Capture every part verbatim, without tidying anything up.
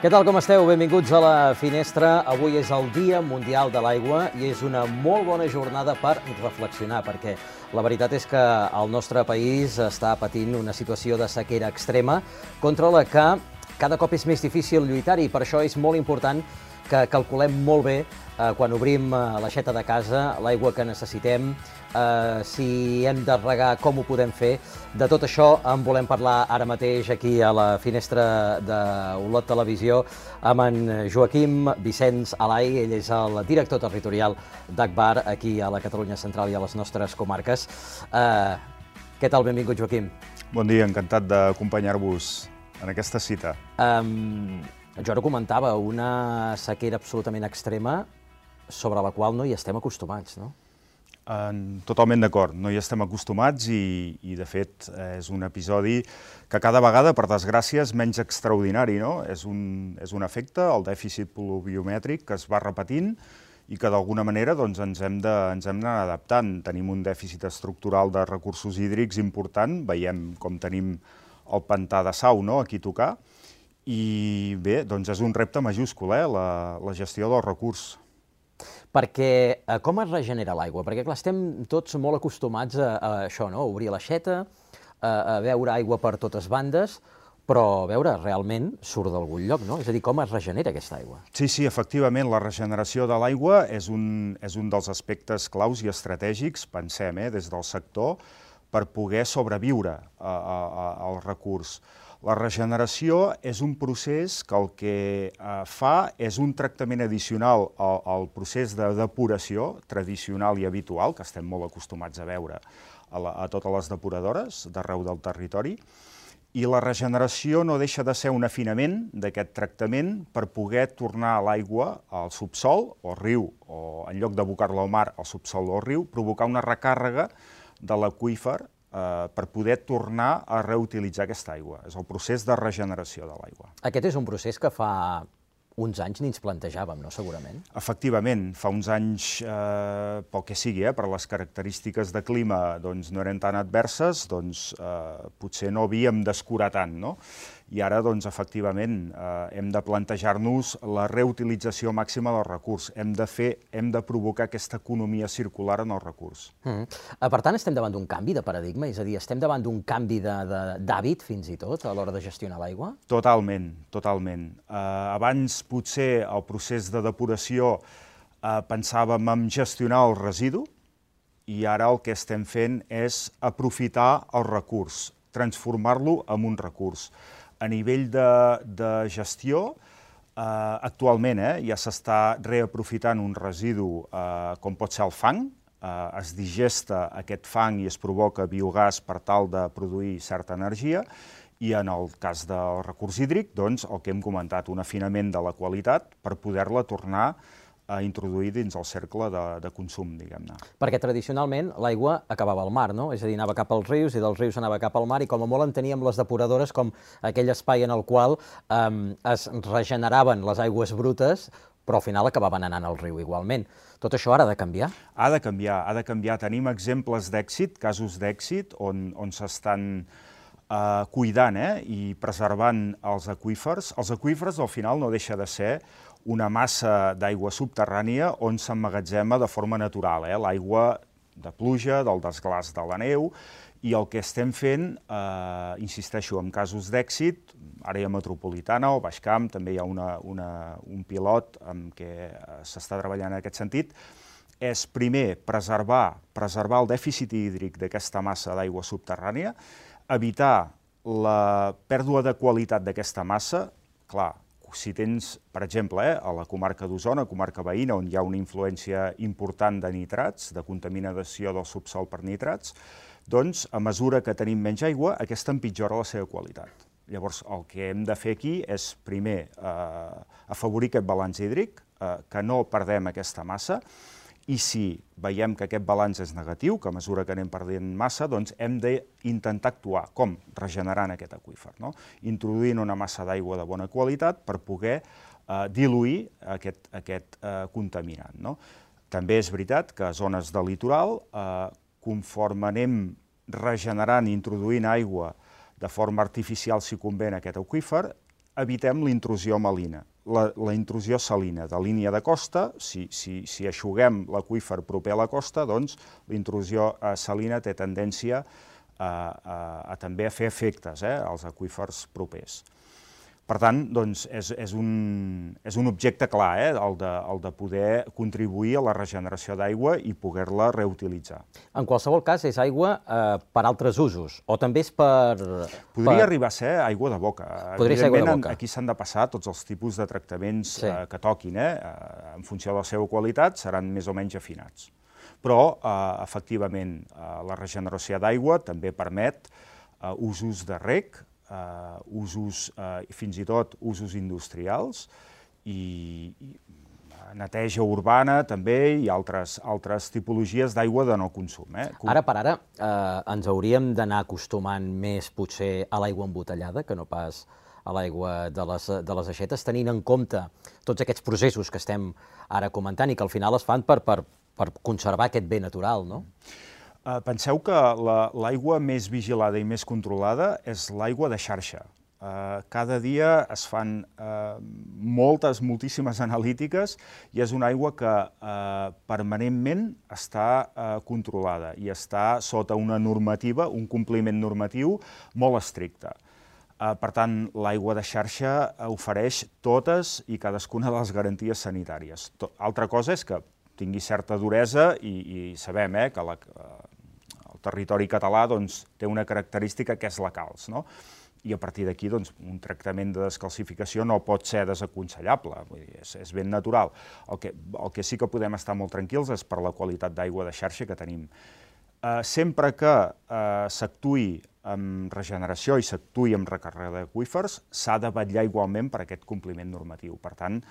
Què tal, com esteu? Benvinguts a la Finestra. Avui és el Dia Mundial de l'Aigua i és una molt bona jornada per reflexionar, perquè la veritat és que el nostre país està patint una situació de sequera extrema contra la que cada cop és més difícil lluitar i per això és molt important que calculem molt bé eh, quan obrim eh, l'aixeta de casa l'aigua que necessitem, eh, si hem de regar, com ho podem fer. De tot això en volem parlar ara mateix aquí a la Finestra d'Olot Televisió amb en Joaquim Vicenç Alay. Ell és el director territorial d'Agbar aquí a la Catalunya Central i a les nostres comarques. Eh, què tal? Benvingut, Joaquim. Bon dia, encantat d'acompanyar-vos en aquesta cita. Um, jo ara comentava una sequera absolutament extrema sobre la qual no hi estem acostumats, no? En, totalment d'acord, no hi estem acostumats i, i, de fet, és un episodi que cada vegada, per desgràcia, és menys extraordinari, no? És un, és un efecte, el dèficit pluviomètric, que es va repetint i que, d'alguna manera, doncs, ens hem de, ens hem d'anar adaptant. Tenim un dèficit estructural de recursos hídrics important, veiem com tenim el pantà de Sau, no?, aquí a tocar, i bé, doncs és un repte majúscul, eh?, la, la gestió del recurs. Perquè eh, com es regenera l'aigua? Perquè, clar, estem tots molt acostumats a, a això, no?, a obrir l'aixeta, a, a veure aigua per totes bandes, però, a veure, realment surt d'algun lloc, no? És a dir, com es regenera aquesta aigua? Sí, sí, efectivament, la regeneració de l'aigua és un, és un dels aspectes claus i estratègics, pensem, eh, des del sector, per poder sobreviure a, a, a, al recurs. La regeneració és un procés que el que eh, fa és un tractament addicional al, al procés de depuració tradicional i habitual, que estem molt acostumats a veure a, la, a totes les depuradores d'arreu del territori, i la regeneració no deixa de ser un afinament d'aquest tractament per poder tornar l'aigua al subsol o al riu, o en lloc d'abocar-la al mar, al subsol o al riu, provocar una recàrrega de l'aqüífer eh, per poder tornar a reutilitzar aquesta aigua. És el procés de regeneració de l'aigua. Aquest és un procés que fa uns anys ni ens plantejàvem, no?, segurament? Efectivament, fa uns anys, eh, pel que sigui, eh, per les característiques de clima doncs, no eren tan adverses, doncs eh, potser no havíem d'escurar tant, no? I ara, doncs, efectivament, eh, hem de plantejar-nos la reutilització màxima del recurs. Hem de fer, hem de provocar aquesta economia circular en el recurs. Mm. Per tant, estem davant d'un canvi de paradigma? És a dir, estem davant d'un canvi d'hàbit, fins i tot, a l'hora de gestionar l'aigua? Totalment, totalment. Eh, abans, potser, el procés de depuració eh, pensàvem en gestionar el residu i ara el que estem fent és aprofitar el recurs, transformar-lo en un recurs. A nivell de, de gestió, eh, actualment eh, ja s'està reaprofitant un residu eh, com pot ser el fang, eh, es digesta aquest fang i es provoca biogàs per tal de produir certa energia, i en el cas del recurs hídric, doncs, el que hem comentat, un afinament de la qualitat per poder-la tornar a introduir dins el cercle de, de consum, diguem-ne. Perquè tradicionalment l'aigua acabava al mar, no? És a dir, anava cap als rius i dels rius anava cap al mar i com a molt enteníem les depuradores com aquell espai en el qual eh, es regeneraven les aigües brutes, però al final acabaven anant al riu igualment. Tot això ara ha de canviar? Ha de canviar, ha de canviar. Tenim exemples d'èxit, casos d'èxit, on, on s'estan eh, cuidant eh, i preservant els aqüífers. Els aqüífers, al final, no deixa de ser una massa d'aigua subterrània on s'emmagatzema de forma natural, eh? L'aigua de pluja, del desglàs de la neu, i el que estem fent, eh, insisteixo, en casos d'èxit, àrea metropolitana o Baix Camp, també hi ha una, una, un pilot amb què s'està treballant en aquest sentit, és primer preservar, preservar el dèficit hídric d'aquesta massa d'aigua subterrània, evitar la pèrdua de qualitat d'aquesta massa, clar, si tens, per exemple, eh, a la comarca d'Osona, comarca veïna, on hi ha una influència important de nitrats, de contaminació del subsol per nitrats, doncs, a mesura que tenim menys aigua, aquesta empitjora la seva qualitat. Llavors, el que hem de fer aquí és, primer, eh, afavorir aquest balanç hídric, eh, que no perdem aquesta massa, i si veiem que aquest balanç és negatiu, que a mesura que anem perdent massa, doncs hem d'intentar actuar. Com? Regenerant aquest aqüífer, no? Introduint una massa d'aigua de bona qualitat per poder eh, diluir aquest, aquest eh, contaminant, no? També és veritat que a zones de litoral, eh, conforme anem regenerant i introduint aigua de forma artificial, si convé, en aquest aqüífer, evitem la intrusió marina. La, la intrusió salina de línia de costa, si, si, si aixuguem l'aqüífer proper a la costa, doncs la intrusió eh, salina té tendència a, a, a també a fer efectes eh, als aqüífers propers. Per tant, doncs, és, és, un, és un objecte clar, eh, el, de, el de poder contribuir a la regeneració d'aigua i poder-la reutilitzar. En qualsevol cas, és aigua eh, per altres usos, o també és per... Podria per... arribar a ser aigua de boca. Podria ser aigua de boca. Aquí s'han de passar tots els tipus de tractaments sí. eh, que toquin, eh, en funció de la seva qualitat, seran més o menys afinats. Però, eh, efectivament, eh, la regeneració d'aigua també permet eh, usos de reg, Uh, usos, uh, fins i tot usos industrials i, i neteja urbana també i altres, altres tipologies d'aigua de no consum. Eh? Ara per ara eh, ens hauríem d'anar acostumant més potser a l'aigua embotellada que no pas a l'aigua de, les, de les aixetes, tenint en compte tots aquests processos que estem ara comentant i que al final es fan per, per, per conservar aquest bé natural, no? Uh, penseu que l'aigua la, més vigilada i més controlada és l'aigua de xarxa. Uh, cada dia es fan uh, moltes, moltíssimes analítiques i és una aigua que uh, permanentment està uh, controlada i està sota una normativa, un compliment normatiu molt estricte. Uh, per tant, l'aigua de xarxa ofereix totes i cadascuna de les garanties sanitàries. To- Altra cosa és que tingui certa duresa i, i sabem eh, que la, uh, el territori català doncs, té una característica que és la calç, no? I a partir d'aquí doncs, un tractament de descalcificació no pot ser desaconsellable, vull dir, és, és ben natural. El que, el que sí que podem estar molt tranquils és per la qualitat d'aigua de xarxa que tenim. Uh, sempre que uh, s'actuï amb regeneració i s'actuï amb recàrrega d'aqüífers, s'ha de vetllar igualment per aquest compliment normatiu. Per tant,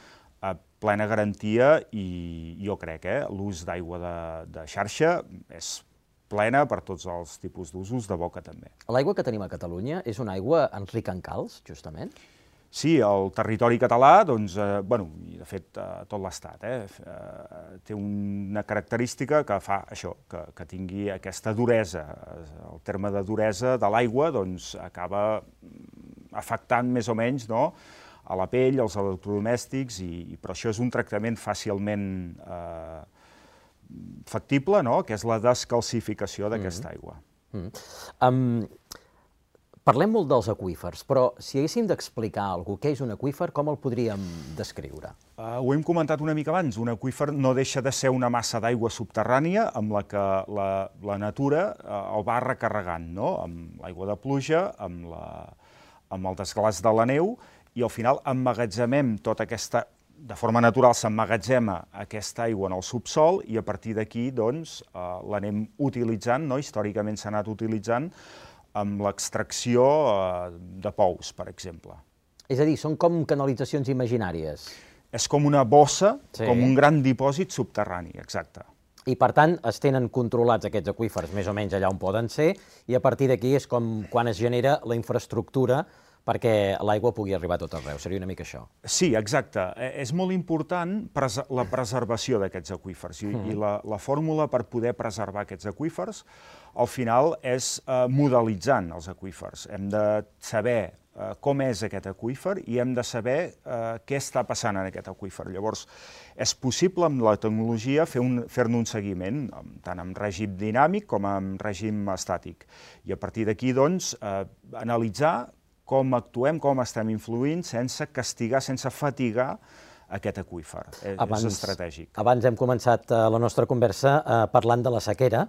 a plena garantia i jo crec que eh, l'ús d'aigua de, de xarxa és plena per tots els tipus d'usos, de boca també. L'aigua que tenim a Catalunya és una aigua rica en calç, justament? Sí, el territori català, doncs, eh, bueno, i de fet eh, tot l'Estat, eh, eh, té una característica que fa això, que, que tingui aquesta duresa. El terme de duresa de l'aigua doncs, acaba afectant més o menys no, a la pell, als electrodomèstics, i, però això és un tractament fàcilment eh, factible, no? Que és la descalcificació d'aquesta mm-hmm. aigua. Mm-hmm. um, parlem molt dels aqüífers, però si haguéssim d'explicar alguna cosa, què és un aqüífer, com el podríem descriure? Uh, ho hem comentat una mica abans. Un aqüífer no deixa de ser una massa d'aigua subterrània amb la que la, la natura uh, el va recarregant, no? Amb l'aigua de pluja, amb, la, amb el desglàs de la neu, i al final emmagatzemem tota aquesta de forma natural s'emmagatzema aquesta aigua en el subsol i a partir d'aquí doncs, eh, l'anem utilitzant, no? Històricament s'ha anat utilitzant amb l'extracció eh, de pous, per exemple. És a dir, són com canalitzacions imaginàries. És com una bossa, sí. Com un gran dipòsit subterrani, exacte. I per tant es tenen controlats aquests aqüífers més o menys allà on poden ser i a partir d'aquí és com quan es genera la infraestructura perquè l'aigua pugui arribar a tot arreu. Seria una mica això. Sí, exacte. És molt important la preservació d'aquests aqüífers i, mm. i la, la fórmula per poder preservar aquests aqüífers al final és eh, modelitzant els aqüífers. Hem de saber eh, com és aquest aqüífer i hem de saber eh, què està passant en aquest aqüífer. Llavors, és possible amb la tecnologia fer-ne fer un seguiment, tant en règim dinàmic com en règim estàtic. I a partir d'aquí, doncs, eh, analitzar com actuem, com estem influint, sense castigar, sense fatigar aquest aqüífer. És estratègic. Abans hem començat la nostra conversa parlant de la sequera.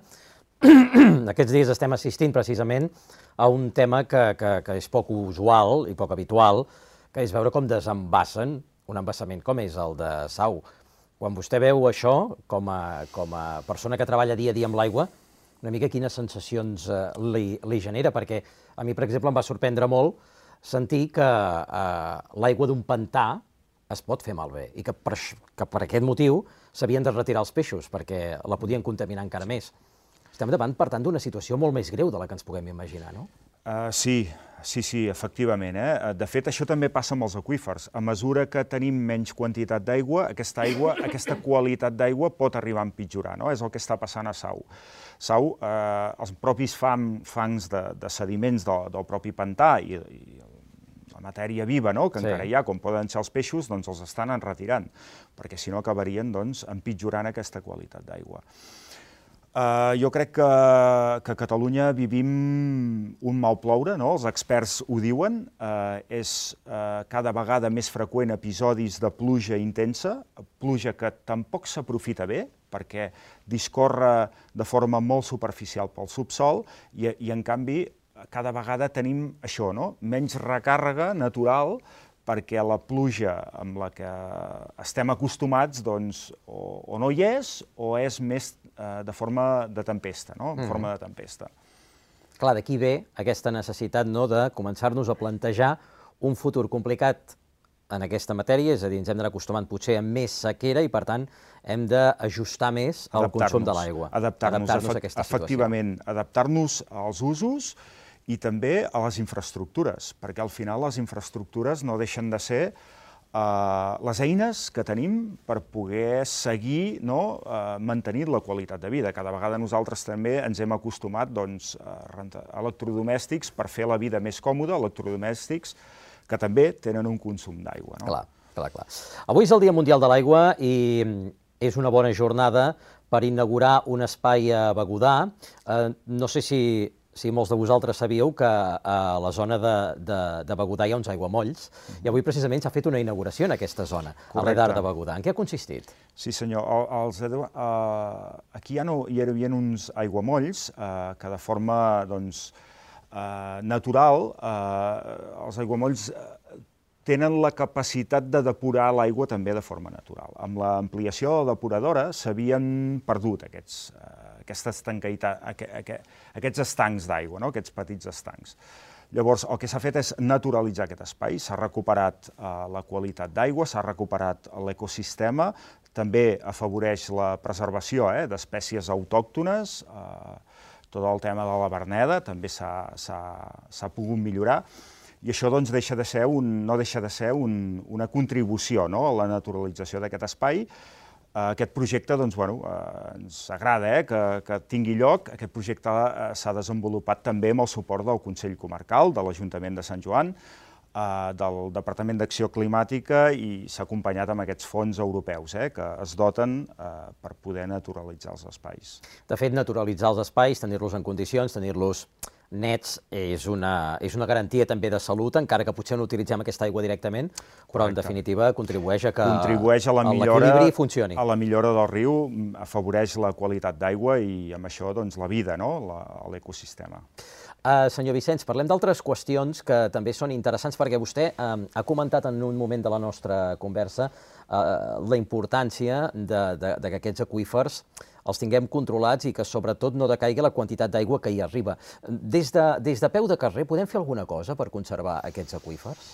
Aquests dies estem assistint precisament a un tema que, que, que és poc usual i poc habitual, que és veure com desembassen un embassament com és el de Sau. Quan vostè veu això, com a, com a persona que treballa dia a dia amb l'aigua, una mica quines sensacions eh, li, li genera, perquè a mi, per exemple, em va sorprendre molt sentir que eh, l'aigua d'un pantà es pot fer malbé i que per, que per aquest motiu s'havien de retirar els peixos perquè la podien contaminar encara més. Estem davant, per tant, d'una situació molt més greu de la que ens puguem imaginar, no? Uh, sí, sí, sí, efectivament. Eh? De fet, això també passa amb els aqüífers. A mesura que tenim menys quantitat d'aigua, aquesta aigua, aquesta qualitat d'aigua pot arribar a empitjorar, no? És el que està passant a Sau. Sau, eh, els propis fam, fangs de, de sediments del, del propi pantà i, i la matèria viva, no?, que encara hi ha, com poden ser els peixos, doncs els estan enretirant, perquè si no acabarien doncs, empitjorant aquesta qualitat d'aigua. Uh, jo crec que, que a Catalunya vivim un mal ploure, no? Els experts ho diuen, uh, és uh, cada vegada més freqüent episodis de pluja intensa, pluja que tampoc s'aprofita bé, perquè discorre de forma molt superficial pel subsol i, i en canvi cada vegada tenim això, no? Menys recàrrega natural, perquè la pluja amb la que estem acostumats doncs, o, o no hi és o és més eh, de forma de tempesta, no? En forma de tempesta. Clar, d'aquí ve aquesta necessitat, no?, de començar-nos a plantejar un futur complicat en aquesta matèria, és a dir, ens hem d'anar acostumant potser a més sequera i, per tant, hem d'ajustar més el consum de l'aigua. Adaptar-nos, adaptar-nos a aquesta situació. Efectivament, adaptar-nos als usos i també a les infraestructures, perquè al final les infraestructures no deixen de ser uh, les eines que tenim per poder seguir, no, uh, mantenint la qualitat de vida. Cada vegada nosaltres també ens hem acostumat doncs, a rentar electrodomèstics per fer la vida més còmoda, electrodomèstics que també tenen un consum d'aigua. No? Clar, clar, clar. Avui és el Dia Mundial de l'Aigua i és una bona jornada per inaugurar un espai a Begudà. Uh, no sé si... Si molts de vosaltres sabíeu que a la zona de, de, de Begudà hi ha uns aiguamolls, mm-hmm. i avui precisament s'ha fet una inauguració en aquesta zona, correcte, a l'Edar de Begudà. En què ha consistit? Sí, senyor. Els, uh, aquí hi, ha, hi havia uns aiguamolls uh, que de forma doncs, uh, natural, uh, els aiguamolls uh, tenen la capacitat de depurar l'aigua també de forma natural. Amb l'ampliació de la depuradora s'havien perdut aquests uh, aquestes aquests estancs d'aigua, no? Aquests petits estancs. Llavors, el que s'ha fet és naturalitzar aquest espai, s'ha recuperat eh, la qualitat d'aigua, s'ha recuperat l'ecosistema, també afavoreix la preservació eh, d'espècies autòctones, eh, tot el tema de la verneda també s'ha pogut millorar, i això doncs, deixa de ser un, no deixa de ser un, una contribució, no?, a la naturalització d'aquest espai. Aquest projecte doncs, bueno, eh, ens agrada eh, que, que tingui lloc. Aquest projecte eh, s'ha desenvolupat també amb el suport del Consell Comarcal, de l'Ajuntament de Sant Joan, eh, del Departament d'Acció Climàtica i s'ha acompanyat amb aquests fons europeus eh, que es doten eh, per poder naturalitzar els espais. De fet, naturalitzar els espais, tenir-los en condicions, tenir-los nets, és una, és una garantia també de salut, encara que potser no utilitzem aquesta aigua directament, però en definitiva contribueix a que l'equilibri funcioni. A la millora del riu, afavoreix la qualitat d'aigua i amb això doncs, la vida, no?, l'ecosistema. Uh, senyor Vicenç, parlem d'altres qüestions que també són interessants, perquè vostè uh, ha comentat en un moment de la nostra conversa uh, la importància de, de, de que aquests aqüífers els tinguem controlats i que sobretot no decaigui la quantitat d'aigua que hi arriba. Des de, des de peu de carrer podem fer alguna cosa per conservar aquests aqüífers?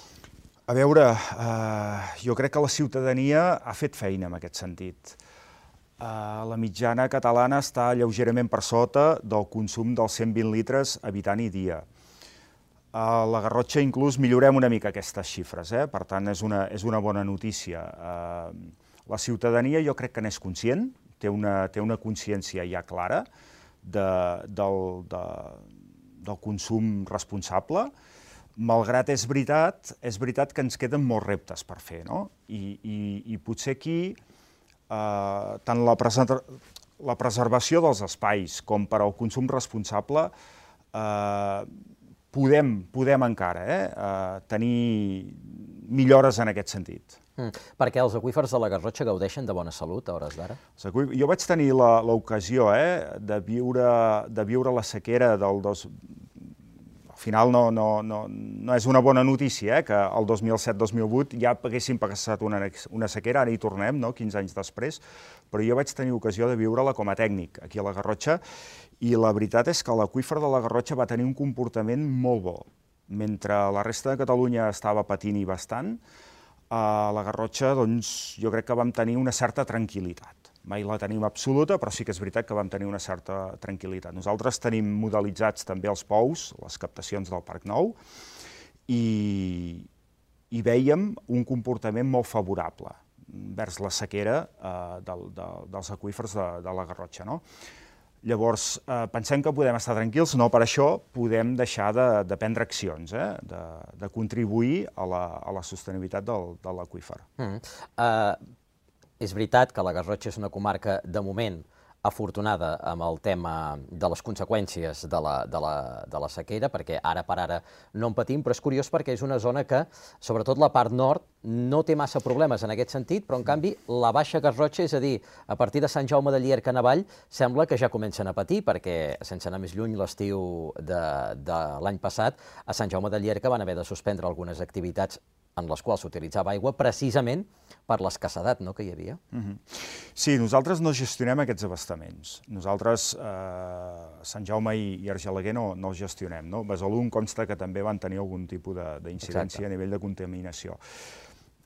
A veure, eh, jo crec que la ciutadania ha fet feina en aquest sentit. Eh, la mitjana catalana està lleugerament per sota del consum dels cent vint litres habitant i dia. A la Garrotxa inclús millorem una mica aquestes xifres, eh? Per tant és una, és una bona notícia. Eh, la ciutadania jo crec que n'és conscient, té una, té una consciència ja clara de, del, de, del consum responsable, malgrat és veritat, és veritat que ens queden molts reptes per fer, no? I, i, i potser aquí eh, tant la, la preservació dels espais com per al consum responsable eh, podem, podem encara eh, eh, tenir millores en aquest sentit. Mm. Perquè els aqüífers de la Garrotxa gaudeixen de bona salut a hores d'ara? Jo vaig tenir l'ocasió eh, de, viure, de viure la sequera del dos... Al final no, no, no, no és una bona notícia eh, que el dos mil set dos mil vuit ja haguéssim passat una, una sequera, ara hi tornem, no, quinze anys després, però jo vaig tenir ocasió de viure-la com a tècnic aquí a la Garrotxa i la veritat és que l'aqüífer de la Garrotxa va tenir un comportament molt bo. Mentre la resta de Catalunya estava patint i bastant, a la Garrotxa doncs, jo crec que vam tenir una certa tranquil·litat. Mai la tenim absoluta, però sí que és veritat que vam tenir una certa tranquil·litat. Nosaltres tenim modelitzats també els pous, les captacions del Parc Nou, i, i vèiem un comportament molt favorable vers la sequera eh, del, de, dels aqüífers de, de la Garrotxa. No? Llavors, eh, pensem que podem estar tranquils, no per això podem deixar de, de prendre accions, eh, de, de contribuir a la, a la sostenibilitat del, de l'aqüífer. Mm. Uh, és veritat que la Garrotxa és una comarca, de moment, afortunada amb el tema de les conseqüències de la, de la, de la sequera, perquè ara per ara no en patim, però és curiós perquè és una zona que, sobretot la part nord, no té massa problemes en aquest sentit, però en canvi la Baixa Garrotxa, és a dir, a partir de Sant Jaume de Llierca en avall, sembla que ja comencen a patir, perquè, sense anar més lluny, l'estiu de, de l'any passat, a Sant Jaume de Llierca van haver de suspendre algunes activitats en les quals s'utilitzava aigua, precisament per l'escassedat, no?, que hi havia. Mm-hmm. Sí, nosaltres no gestionem aquests abastaments. Nosaltres, eh, Sant Jaume i, i Argelaguer no, no els gestionem, no? Besalú em consta que també van tenir algun tipus d'incidència a nivell de contaminació.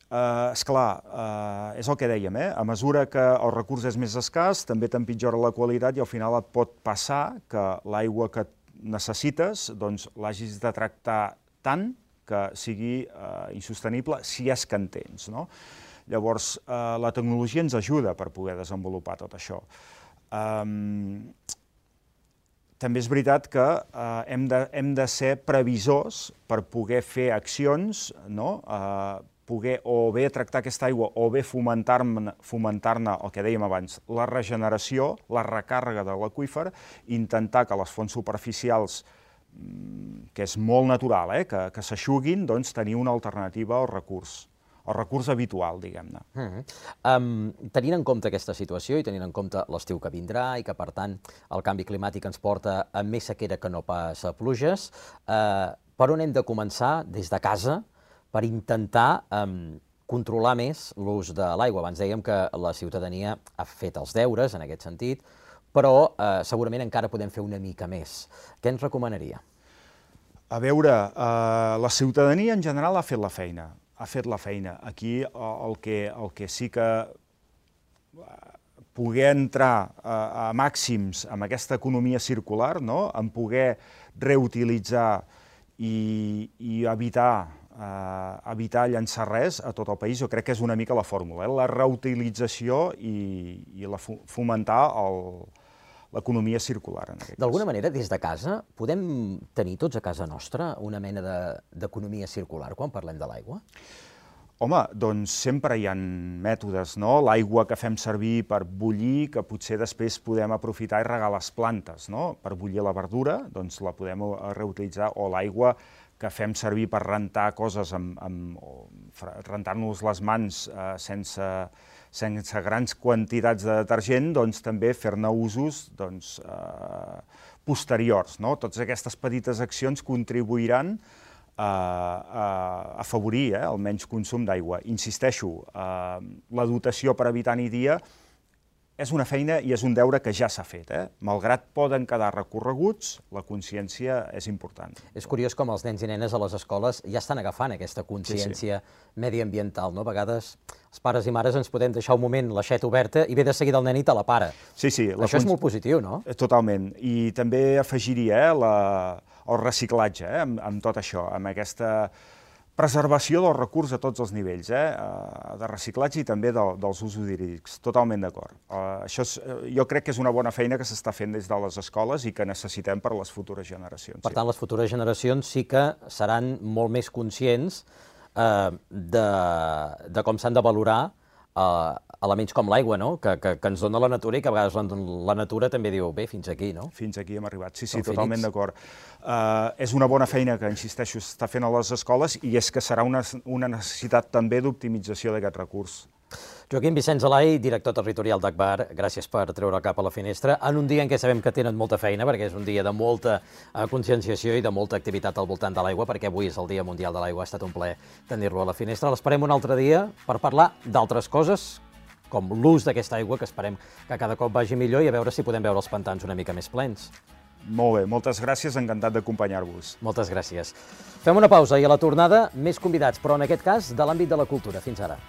Eh, esclar, eh, és el que dèiem, eh? A mesura que el recurs és més escàs, també t'empitjora la qualitat i al final et pot passar que l'aigua que necessites doncs, l'hagis de tractar tant que sigui eh, insostenible si és que en tens, no? Llavors, eh, la tecnologia ens ajuda per poder desenvolupar tot això. Um, també és veritat que eh, hem, de, hem de ser previsors per poder fer accions, no? Eh, poder o bé tractar aquesta aigua o bé fomentar-ne, fomentar-ne el que dèiem abans, la regeneració, la recàrrega de l'aqüífer, intentar que les fonts superficials, que és molt natural, eh, que, que s'aixuguin, doncs tenir una alternativa al recurs, el recurs habitual, diguem-ne. Mm-hmm. um, tenint en compte aquesta situació i tenint en compte l'estiu que vindrà i que, per tant, el canvi climàtic ens porta a més sequera que no pas a pluges, eh, per on hem de començar des de casa per intentar um, controlar més l'ús de l'aigua? Abans dèiem que la ciutadania ha fet els deures en aquest sentit, però eh, segurament encara podem fer una mica més. Què ens recomanaria? A veure, eh, la ciutadania en general ha fet la feina, ha fet la feina. Aquí el que, el que sí que poder entrar a, a màxims amb aquesta economia circular, no? En poder reutilitzar i, i evitar, eh, evitar llançar res a tot el país, jo crec que és una mica la fórmula, eh? La reutilització i, i la, fomentar el l'economia circular, en aquest cas. D'alguna manera, des de casa, podem tenir tots a casa nostra una mena d'economia circular quan parlem de l'aigua? Home, doncs sempre hi ha mètodes, no? L'aigua que fem servir per bullir, que potser després podem aprofitar i regar les plantes, no? Per bullir la verdura, doncs la podem reutilitzar, o l'aigua que fem servir per rentar coses, amb, amb, rentar-nos les mans eh, sense, sense grans quantitats de detergent, doncs també fer-ne usos doncs, eh, posteriors, no? Totes aquestes petites accions contribuiran a, a afavorir eh, el menys consum d'aigua. Insisteixo, eh, la dotació per habitant i dia és una feina i és un deure que ja s'ha fet. Eh? Malgrat poden quedar recorreguts, la consciència és important. És curiós com els nens i nenes a les escoles ja estan agafant aquesta consciència sí, sí. mediambiental, no? A vegades els pares i mares ens podem deixar un moment l'aixeta oberta i ve de seguida el nen i te la para. Sí, sí. Això és molt positiu, no? Totalment. I també afegiria eh, la, el reciclatge eh, amb, amb tot això, amb aquesta preservació del recurs a tots els nivells, eh? de reciclatge i també de, dels usos hídrics, totalment d'acord. Uh, això és, jo crec que és una bona feina que s'està fent des de les escoles i que necessitem per a les futures generacions. Per tant, les futures generacions sí que seran molt més conscients eh, de, de com s'han de valorar Uh, elements com l'aigua, no? que, que, que ens dona la natura i que a vegades la, la natura també diu, bé, fins aquí, no? Fins aquí hem arribat, sí, sí, totalment d'acord. Uh, és una bona feina que, insisteixo, s'està fent a les escoles i és que serà una, una necessitat també d'optimització d'aquest recurs. Joaquim Vicenç Alai, director territorial d'Agbar, gràcies per treure el cap a la finestra en un dia en què sabem que tenen molta feina, perquè és un dia de molta uh, conscienciació i de molta activitat al voltant de l'aigua, perquè avui és el Dia Mundial de l'Aigua, ha estat un plaer tenir-lo a la finestra. L'esperem un altre dia per parlar d'altres coses, com l'ús d'aquesta aigua, que esperem que cada cop vagi millor, i a veure si podem veure els pantans una mica més plens. Molt bé, moltes gràcies, encantat d'acompanyar-vos. Moltes gràcies. Fem una pausa i a la tornada més convidats, però en aquest cas de l'àmbit de la cultura. Fins ara.